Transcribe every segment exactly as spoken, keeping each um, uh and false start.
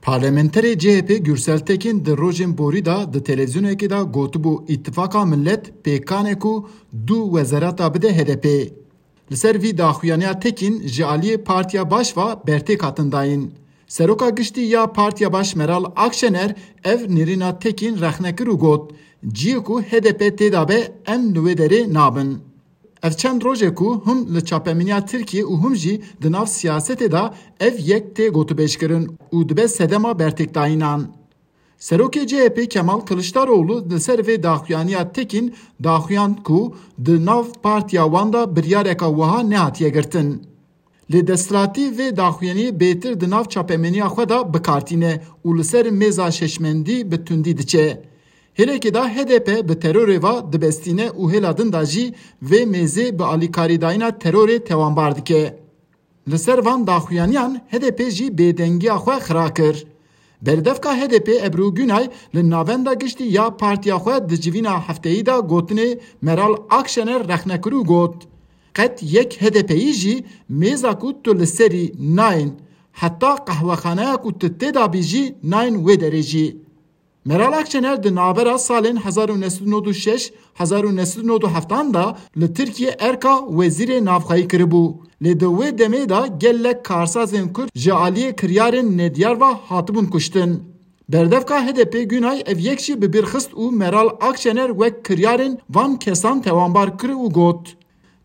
Parlamenterê C H P Gürsel Tekin di rojên borî de di televîzyonekê de gotibû, Îtifaka Millet pêkan e ku du wezareta bide H D P. Li ser vî daxuyaniya Tekin ji aliyê Partiya Baş ve bertêk hatin dayîn. Seroka Giştî ya Partiya Baş Meral Akşener ev nêrîna Tekin rexne kir û got, Ciyê ku H D P tê de be, em li wê derê nabin. Ev çend roj e ku him li çapemeniya Tirkiyê û him jî di nav siyasetê de ev yek tê gotûbêjkirin û dibe sedema bertêkdayînan. Serokê C H P Kemal Kiliçdaroğlu li ser vê daxuyaniya Tekin daxuyand ku di nav partiya wan de biryareka wiha nehatiye girtin. Lê desthilatî vê daxuyaniyê bêtir di nav çapemeniya xwe de bi kar tîne û li ser mêza şeşmendî bi tundî diçe. Hêlekê de H D P bi terorê ve dibestîne û hêla din de jî vê mêzê bi alîkarîdayîna terorê tewanbar dike. Li ser van daxuyaniyan H D P jî bêdengiya xwe xira kir. Berdevka H D P Ebru Günay li navenda giştî ya partiya xwe di civîna hefteyî de gotinê Meral Akşener rexne kir û got, Qet yek H D P'yî jî mêza ku tu li serî nayên, heta qehwexaneya ku tu tê de bî jî nayên wê derê jî. Meral Akşener di navbera salên hezar û neh sed û nod û şeş, hezar û neh sed û nod û heft de li Tirkiye erka wezîrê navxweyî kiribû. Lê di wê demê de gelek karsazên Kurd ji aliyê kiryarên nediyar ve hatibûn kuştin. Berdevka H D P Günay ev yek jî bi bîr xist û Meral Akşener wek kiryarên van kesan tewanbar kir û got,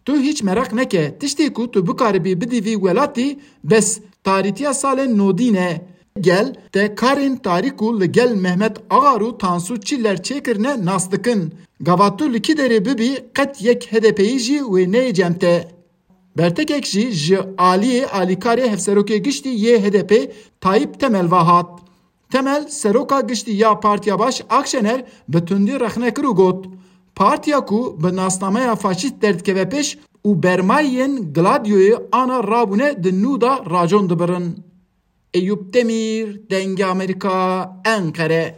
Tu hîç meraq neke, tiştê ku tu bikaribî bidî vî welatî, bes tarîtiya salên nodî ne. Gel te karên tarî ku li gel Mehmet Agar û Tansu Çiller çêkirine nas dikin. Gava tu li kî derê bibî, qet yek H D P'yî jî wê neyê cem te. Bertekek jî ji aliyê alîkarê hevserokê giştî yê H D P Tayyip Temel ve hat. Temel, seroka giştî ya Partiya Baş Akşener bi tundî rexne kir û got, Partiya ku bi nasnameya faşîst derdikeve pêş û bermayên Gladioyê ana rabûne di nû de racon dibirin. Eyûp Demîr, Dengê Amerîka, Enqere.